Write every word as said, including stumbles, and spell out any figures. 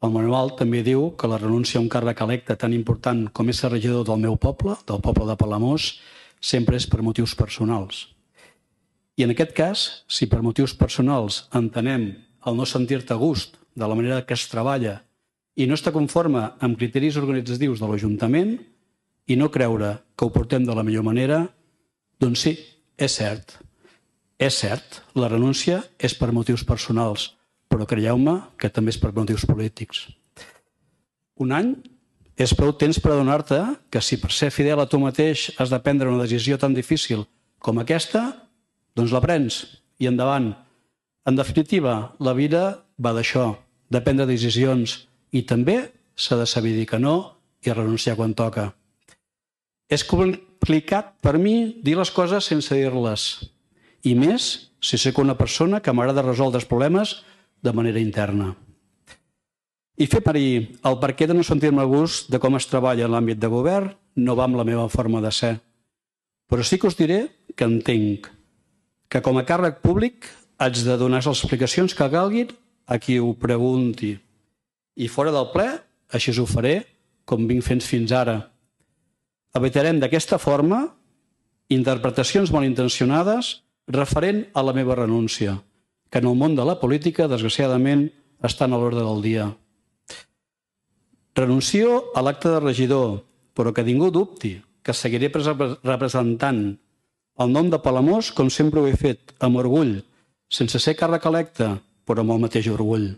El manual també diu que la renúncia a un càrrec electe tan important com és ser regidor del meu poble, del poble de Palamós, sempre és per motius personals. I en aquest cas, si per motius personals entenem el no sentir-te a gust de la manera que es treballa i no estar conforme amb criteris organitzatius de l'Ajuntament i no creure que ho portem de la millor manera, doncs sí, és cert. És cert, la renúncia és per motius personals, però creieu-me que també és per motius polítics. Un any és prou temps per adonar-te que si per ser fidel a tu mateix has de prendre una decisió tan difícil com aquesta, doncs la prens i endavant. En definitiva, la vida va d'això, de prendre decisions i també s'ha de saber dir que no i renunciar quan toca. És complicat per mi dir les coses sense dir-les, i més si soc una persona que m'agrada resoldre els problemes de manera interna. I fer parir el perquè de no sentir-me a gust de com es treballa en l'àmbit de govern no va amb la meva forma de ser. Però sí que us diré que entenc que com a càrrec públic haig de donar les explicacions que calguin a qui ho pregunti. I fora del ple, així ho faré, com vinc fent fins ara. Evitarem d'aquesta forma interpretacions malintencionades referent a la meva renúncia, que en el món de la política, desgraciadament, estan a l'ordre del dia. Renuncio a l'acte de regidor, però que ningú dubti que seguiré representant el nom de Palamós com sempre ho he fet, amb orgull, sense ser càrrec electe, però amb el mateix orgull.